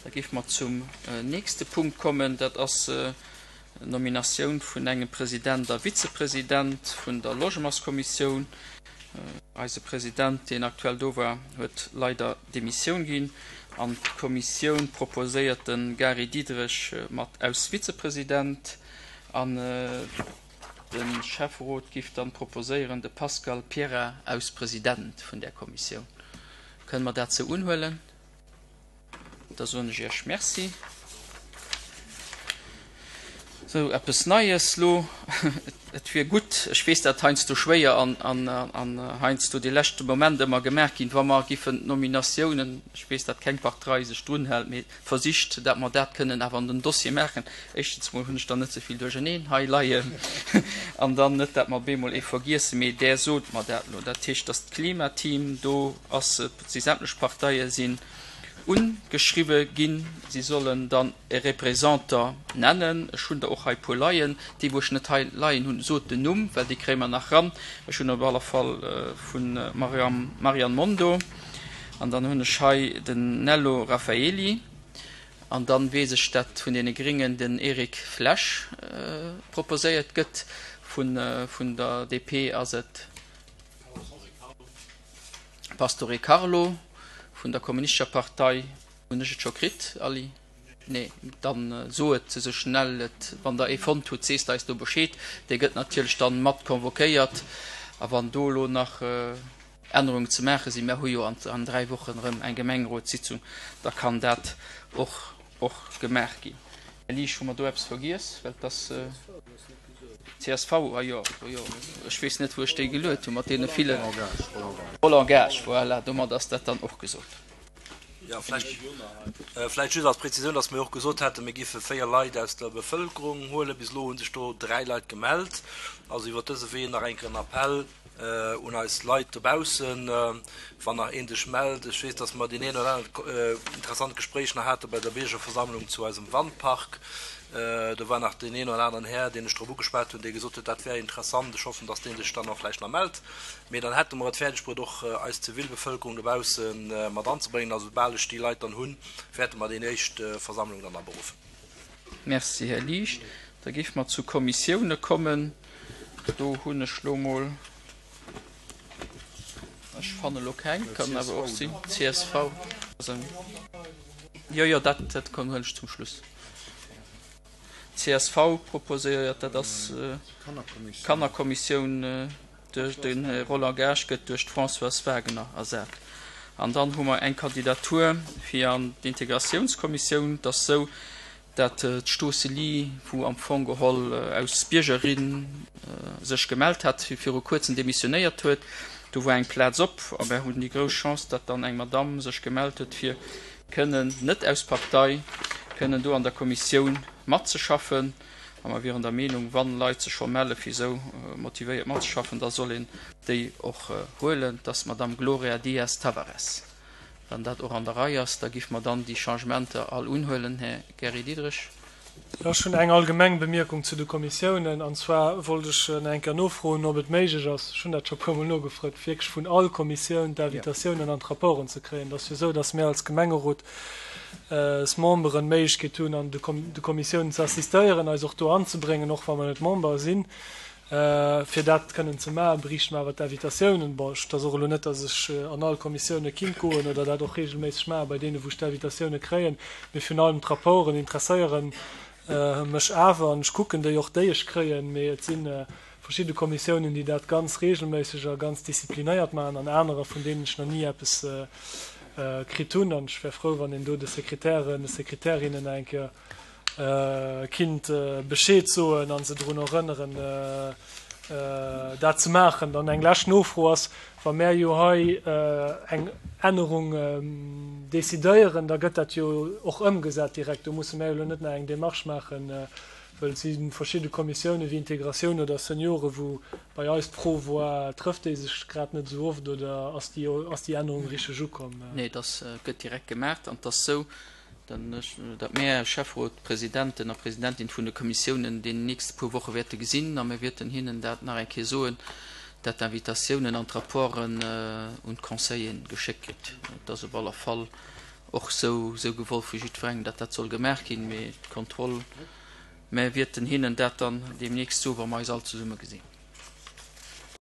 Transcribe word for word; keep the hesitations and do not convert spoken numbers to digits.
Da géife mer zum nächste Punkt kommen, dat ass d'Nominatioun vun engem President a Vizepresident vun der Logementskommissioun. Eise President, deen aktuell do war, huet leider Demissioun ginn an d'Kommissioun proposéiert de Gary Diderich mat aus Vizepresident an de Schäfferot giff dann proposéieren de Pascal Pierrat aus President vun där Kommissioun. Kënne mer dat sou unhuelen? Da soen ech Iech Merci. Sou, eppes Neies lo. Et wier gutt, ech weess dat heiansdo schwéier an, an, an heiansdo de leschte Moment ëmmer gemaach ginn, wa mer giffen d'Nominatiounen, ech weess dat keng Partei sech drun hält, mee versicht, dat mer dat kënnen awer an den Dossier maachen. Éischtens mol hunn ech dann net esou vill duercherneen hei leien an dann net, dat mer bemol ee vergiessen, mee Där sot mer dat lo. Dat heescht, dass d'Klimateam do ass, et si sämtlech Parteie sinn Ungeschriwwe ginn. Si sollen dann e Représentant nennen. Ech hunn der och hei e puer leien. Déi, wou ech net hei leien hunn, sot den Numm, well déi kréie mer nach ran. Ech hunn op alle Fall vu Marianne Mondo an dann hunn ech hei den Nello Raffaeli an dann weess ech, dat vun deene Gringen den Eric Flesch proposéiert gëtt. Vun der D P ass et. Pastore Carlo vun der Kommunistescher Partei. Hunn ech et scho kritt, Aly? Nee, dann so et esou schnell et, wann der ee fonnt hutt, sees de eis do Bescheed. Dee gëtt natierlech dann mat convoquéiert. A wann do elo nach Ännerungen ze maache sinn, mer hu jo an dräi Wochen erëm eng Gemengerotssitzung, da kann dat och och gemaach ginn. Här Liesch, hu mer do eppes vergiess? Well et ass. C S V, ah jo, oh jo, ech weess net, wou ech déi geluet hunn, mat deene villen. Roland Gaasch, voilà, domat ass dat dann och gesot. Jo, vläicht, vläicht just als Präzisioun, dass mir och gesot haten, mir géife véier Leit aus der Bevëlkerung huelen. Bis elo hu sech do dräi Leit gemellt. Also iwwert dëse Wee nach eng Kéier en Appell un eis Leit dobaussen, wann nach een sech mellt. Ech weess, dass mer deen een oder anert interessant Gespréich nach hate bei der Biergerversammlung zu eisem Wandpark. Do war nach deen een oder aneren Här, deen ech drop ugeschwat hunn, dee gesot huet, dat wär interessant. Ech hoffen, dass dee sech dann och vläicht nach mellt. Mee dann hätte mer et fäerdegbruet, och eis Zivilbevëlkerung dobausse mat anzebréngen. A soubal ech déi Leit dann hunn, wäerte mer déi éischt Versammlung dann aberuffen. Merci, Här Liesch. Da géife mer zu Kommissioune kommen. Do hunn ech lo mol, ech fanne lo keng, kann awer och sinn, C S V. Jo, jo, dat, dat huelen ech zum Schluss. C S V proposéiert, dat ass d'Kannerkommissioun, duerch de Roland Gaasch gëtt duerch d'Françoise Wagener ersat. An dann hu mer eng Kandidatur fir an d'Integratiounskommissioun. Et ass esou, dat d'Stoseli, wou am Fong geholl aus Biergerin sech gemellt hat, viru kuerzem demissionéiert huet. Do war eng Plaz op a mer hunn déi grouss Chance, datt dann eng Madamm sech gemellt huet, fir kënnen, net aus Partei, kënnen do an der Kommissioun matzeschaffen. A mer wieren der Meenung, wann Leit sech scho melle fir esou motivéiert matzeschaffen, da soll een déi och huelen. Et ass d'Madamm Gloria Dias Tavares. Wann dat och an der Rei ass, da giff mer dann déi Changementer all unhuelen, Här Gary Diderich. Jo, ech hunn eng allgemeng Bemierkung zu de Kommissiounen. An zwar wollt ech nach eng Kéier nofroen, ob et méiglech ass, ech hunn dat scho e puermol nogefrot, wierklech vun all Kommissioun d'Invitatiounen an d'Rapporten ze kréien. Et ass jo esou, dass mir als Gemengerotsmemberen d'Méiglechkeet hunn, an de Kommissiounen ze assistéieren, eis och do anzebréngen, och wa mer net Member sinn. Fir dat kënnen ze maachen, bräichte mer awer d'Invitatiounen. Bon, et ass och elo net, datt ech an all Kommissioune kinnt goen oder dat och reegelméisseg maachen, bei deene wou ech d'Invitatioune kréien. Mee virun allem d'Rapporten interesséiere mech awer an ech kucken déi och, déi ech kréien. Mee et si verschidde Kommissiounen, déi dat ganz reegelméisseg a ganz disziplinéiert maachen an anerer, vun deenen ech nach ni eppes kritt hunn. An ech wär frou, wann een do de Sekretären, de Sekretärinnen nach eng Kéier kinnt Bescheed soen a se drun erënneren, dat ze maachen. Dann eng lescht Nofro ass, Wa mär jo hei eng Ännerung decidéieren, da gëtt dat jo och ëmgesat direkt. Do musse mär jo elo net nach eng Démarche maachen, wëll et si verschidde Kommissiounen wéi Integratioun oder Seniore wou bei eis d'Fro war, trëfft déi sech grad net esou oft oder ass déi, ass déi Ännerung richteg ukomm? Nee, dat gëtt direkt gemaach an et ass esou, datt mär Schäfferot, Presidenten a Presidentin vun de Kommissiounen déi nächste puer Woche wäerte gesinn a mir wäerten hinnen dat nach eng Kéier soen, dat d'Invitatiounen an d'Rapporten un d'Conseilleren geschéckt kritt. Et ass op alle Fall och sou sou gewollt vu jiddwerengem, datt dat soll gemaach ginn, mee d'Kontroll, mä wierten hinnen dat dann deemnächst soen, wa mer eis all zesumme gesinn.